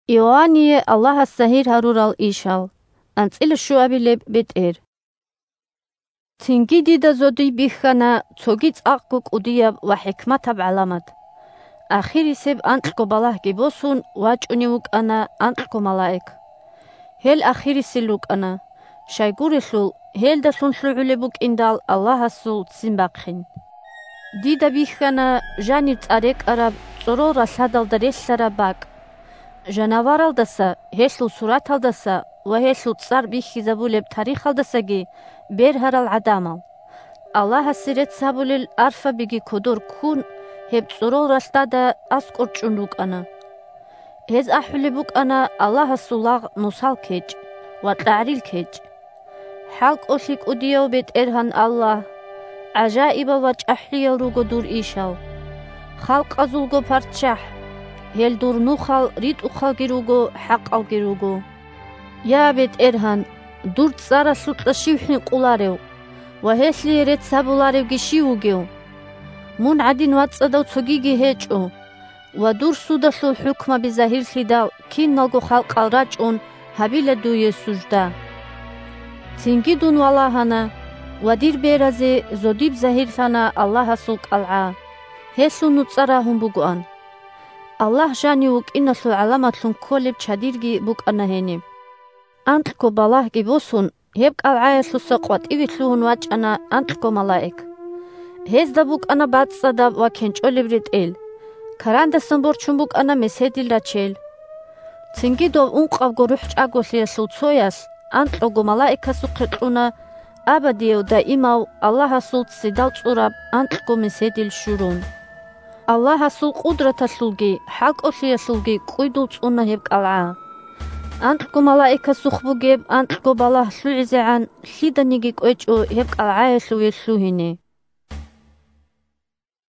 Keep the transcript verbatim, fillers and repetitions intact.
Иоанние Аллагьас загьир гьарурал ишал. АнцӀила щуабилеб бетӀер. Цинги дида зодий бихьана цоги цӀакъго кӀудияб ва хӀикматаб гӀаламат. Ахирисеб анкьго балагьги босун, вачӀунев вукӀана анкьго малаик. Гьел ахирисел рукӀана, щайгурелъул, гьелдалъун лъугӀулеб букӀиндал Аллагьасул ццин бахъин. Дида бихьана жанир цӀар рекӀараб цӀорол ралъадалда релълъараб бакӀ. Жанаваралдаса, гьелъул сураталдаса ва гьелъул цӀар бихьизабулеб тарихалдасаги бергьарал гӀадамал. Аллагьасе рецц гьабулел арфабиги кодор ккун, гьеб цӀорол ралъдада аскӀор чӀун рукӀана. Гьез ахӀулеб букӀана Аллагьасул лагъ Мусал кечӀ ва кьагӀрил кечӀ. ХӀалкӀолъи кӀудияв БетӀергьан Аллагь! ГӀажаибал ва чӀахӀиял руго дур ишал. Халкъазулго ПарччахӀ! Гьел дур нухал ритӀухъалги руго, хӀакъалги руго. Я, БетӀергьан, дур цӀаралъукьа щив хӀинкъуларев ва гьелъие рецц гьабуларевги щив вугев? Мун гӀадин вацӀцӀадав цогиги гьечӀо, ва дур судалъул хӀукмаби загьирлъидал киналго халкъал рачӀун гьабила дуе сужда. Цинги дун валагьана, ва дир беразе зодиб загьирлъана Аллагьасул кӀалгӀа. Гьелъул нуцӀа рагьун бугоан. Аллагь жанив вукӀиналъул гӀаламатлъун кколеб чадирги букӀана гьениб. Анкьго балагьги босун, гьеб кӀалгӀаялъуса къватӀиве лъугьун вачӀана анкьго малаик. Гьезда букӀана бацӀцӀадаб ва кенчӀолеб ретӀел. Карандасан борчун букӀана меседил рачел. Цинги дов ункъабго рухӀчӀаголъиялъул цоялъ анкьго малаикасухъе кьуна абадияв даимав Аллагьасул ццидал цӀураб анкьго меседил щурун. Аллагьасул къудраталъулги хӀалкӀолъиялъулги кӀуйдул цӀуна гьеб кӀалгӀа. Анкьго малаикасухъ бугеб анкьго балагь лъугӀизегӀан лъиданиги кӀвечӀо гьеб кӀалгӀаялъуве лъугьине.